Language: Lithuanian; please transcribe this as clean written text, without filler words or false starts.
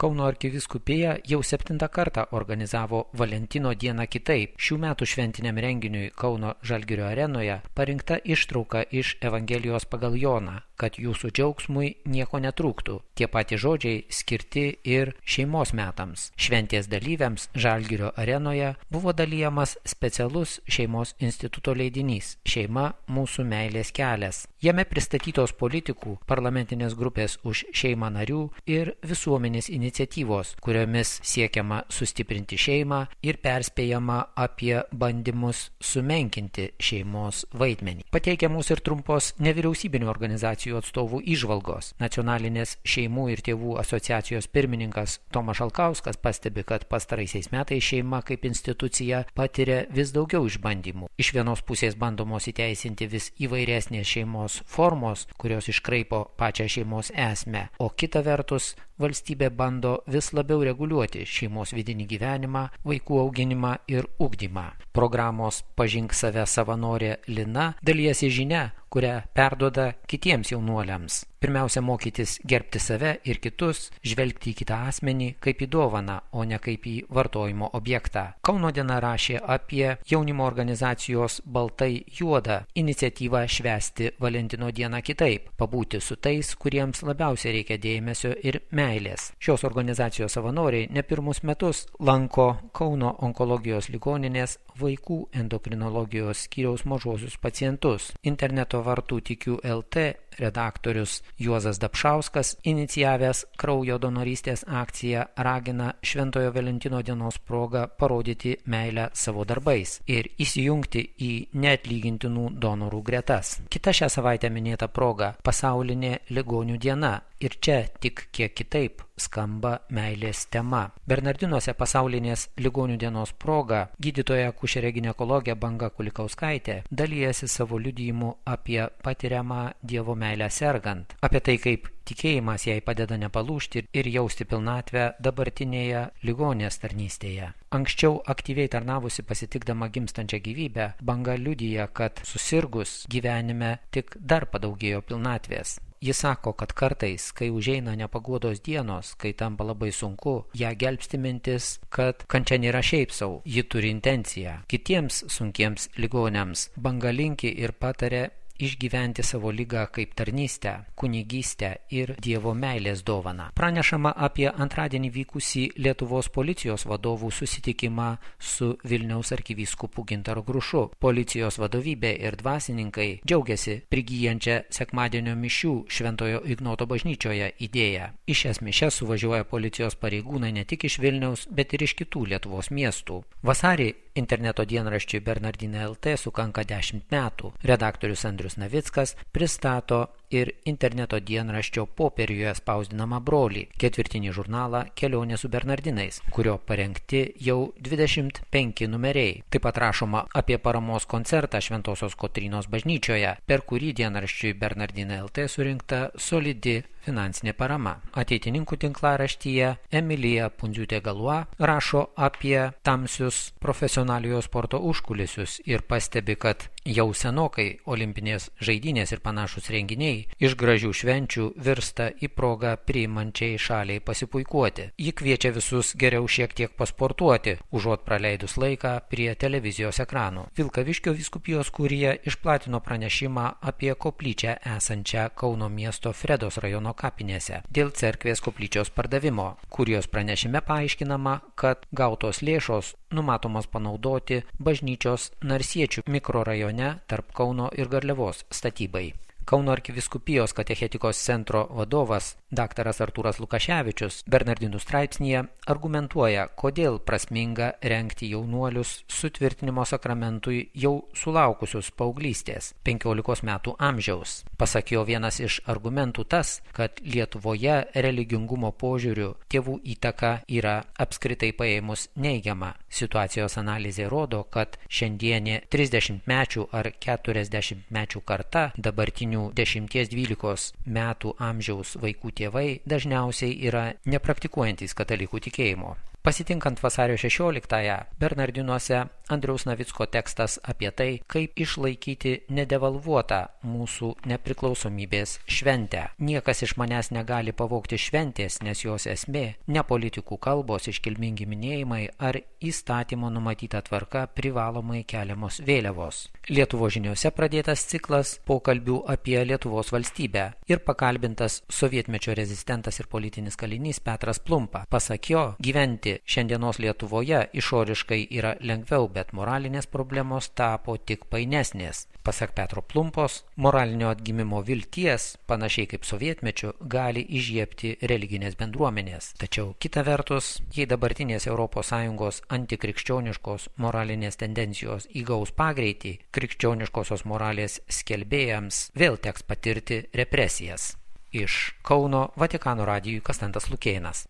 Kauno arkivyskupija jau 7 kartą organizavo Valentino dieną kitaip. Šių metų šventiniam renginiui Kauno Žalgirio arenoje parinkta ištrauka iš Evangelijos pagal Joną, kad jūsų džiaugsmui nieko netrūktų. Tie patys žodžiai skirti ir šeimos metams. Šventės dalyviams Žalgirio arenoje buvo dalijamas specialus šeimos instituto leidinys Šeima mūsų meilės kelias. Jame pristatytos politikų, parlamentinės grupės už šeimą narių ir visuomenės iniciatyvos, kuriomis siekiama sustiprinti šeimą ir perspėjama apie bandymus sumenkinti šeimos vaidmenį. Pateikiamos ir trumpos nevyriausybinių organizacijų atstovų įžvalgos. Nacionalinės šeimų ir tėvų asociacijos pirmininkas Tomas Šalkauskas pastebi, kad pastaraisiais metais šeima kaip institucija patiria vis daugiau išbandymų. Iš vienos pusės bandomos įteisinti vis įvairesnės šeimos formos, kurios iškraipo pačią šeimos esmę, o kita vertus valstybė bando vis labiau reguliuoti šeimos vidinį gyvenimą, vaikų auginimą ir ugdymą. Programos Pažink save savanorė Lina dalijasi žinia, kurią perduoda kitiems jaunuoliams. Pirmiausia, mokytis gerbti save ir kitus, žvelgti į kitą asmenį kaip į dovaną, o ne kaip į vartojimo objektą. Kauno diena rašė apie jaunimo organizacijos Baltai juoda iniciatyvą švęsti Valentino dieną kitaip, pabūti su tais, kuriems labiausiai reikia dėmesio ir meilės. Šios organizacijos savanoriai ne pirmus metus lanko Kauno onkologijos ligoninės vaikų endokrinologijos skyriaus mažuosius pacientus. Interneto vartų Tikiu LT redaktorius Juozas Dapšauskas, inicijavęs kraujo donorystės akciją, ragina Šventojo Valentino dienos progą parodyti meilę savo darbais ir įsijungti į neatlygintinų donorų gretas. Kita šią savaitę minėta proga – pasaulinė ligonių diena. Ir čia tik kiek kitaip skamba meilės tema. Bernardinuose pasaulinės ligonių dienos proga gydytoja akušerė ginekologė Banga Kulikauskaitė dalijasi savo liudijimu apie patiriamą Dievo meilę sergant, apie tai, kaip tikėjimas jai padeda nepalūžti ir jausti pilnatvę dabartinėje ligonės tarnystėje. Anksčiau aktyviai tarnavusi pasitikdama gimstančią gyvybę, Banga liudija, kad susirgus gyvenime tik dar padaugėjo pilnatvės. Jis sako, kad kartais, kai užeina nepaguodos dienos, kai tampa labai sunku, ją gelbsti mintis, kad kančia nėra šiaip sau, ji turi intenciją. Kitiems sunkiems ligoniams Banga linki ir patarė išgyventi savo ligą kaip tarnystę, kunigystę ir Dievo meilės dovaną. Pranešama apie antradienį vykusį Lietuvos policijos vadovų susitikimą su Vilniaus arkivyskupu Gintaru Grušu. Policijos vadovybė ir dvasininkai džiaugiasi prigyjančią sekmadienio mišių Šventojo Ignoto bažnyčioje idėją. Į šias mišias suvažiuoja policijos pareigūnai ne tik iš Vilniaus, bet ir iš kitų Lietuvos miestų. Vasarį interneto dienraščiui Bernardinai LT sukanka 10 metų. Redaktorius Andrius Navickas pristato ir interneto dienraščio popieriuje spausdinamą brolį, ketvirtinį žurnalą Kelionė su Bernardinais, kurio parengti jau 25 numeriai. Taip pat rašoma apie paramos koncertą Šventosios Kotrynos bažnyčioje, per kurį dienraščiui Bernardinai LT surinkta solidi finansinė parama. Ateitininkų tinklaraštyje Emilija Pundziūtė-Galua rašo apie tamsius profesionaliojo sporto užkulisius ir pastebi, kad jau senokai olimpinės žaidynės ir panašus renginiai iš gražių švenčių virsta į progą priimančiai šaliai pasipuikuoti. Ji kviečia visus geriau šiek tiek pasportuoti, užuot praleidus laiką prie televizijos ekranų. Vilkaviškio vyskupijos kurija išplatino pranešimą apie koplyčią esančią Kauno miesto Fredos rajono kapinėse dėl cerkvės koplyčios pardavimo. Kurijos pranešime paaiškinama, kad gautos lėšos numatomas panaudoti bažnyčios Narsiečių mikrorajone tarp Kauno ir Garliavos statybai. Kauno arkivyskupijos katechetikos centro vadovas dr. Artūras Lukaševičius Bernardinų straipsnyje argumentuoja, kodėl prasminga rengti jaunuolius sutvirtinimo sakramentui jau sulaukusius paauglystės 15 metų amžiaus. Pasak jo, vienas iš argumentų tas, kad Lietuvoje religingumo požiūriu tėvų įtaka yra apskritai paėmus neigiama. Situacijos analizė rodo, kad šiandienė 30-mečių ar 40-mečių karta dabartinių 10-12 metų amžiaus vaikų tėvai dažniausiai yra nepraktikuojantys katalikų tikėjimo. Pasitinkant vasario 16-ąją, Bernardinuose Andriaus Navicko tekstas apie tai, kaip išlaikyti nedevalvuotą mūsų nepriklausomybės šventę. Niekas iš manęs negali pavogti šventės, nes jos esmė ne politikų kalbos, iškilmingi minėjimai ar įstatymo numatyta tvarka privalomai keliamos vėliavos. Lietuvos žiniose pradėtas ciklas pokalbių apie Lietuvos valstybę ir pakalbintas sovietmečio rezistentas ir politinis kalinys Petras Plumpa. Pasak jo, gyventi šiandienos Lietuvoje išoriškai yra lengviau, bet moralinės problemos tapo tik painesnės. Pasak Petro Plumpos, moralinio atgimimo vilties, panašiai kaip sovietmečiu, gali įžiebti religinės bendruomenės. Tačiau kita vertus, jei dabartinės ES antikrikščioniškos moralinės tendencijos įgaus pagreitį, krikščioniškosios moralės skelbėjams vėl teks patirti represijas. Iš Kauno Vatikano radijui Konstantas Lukėnas.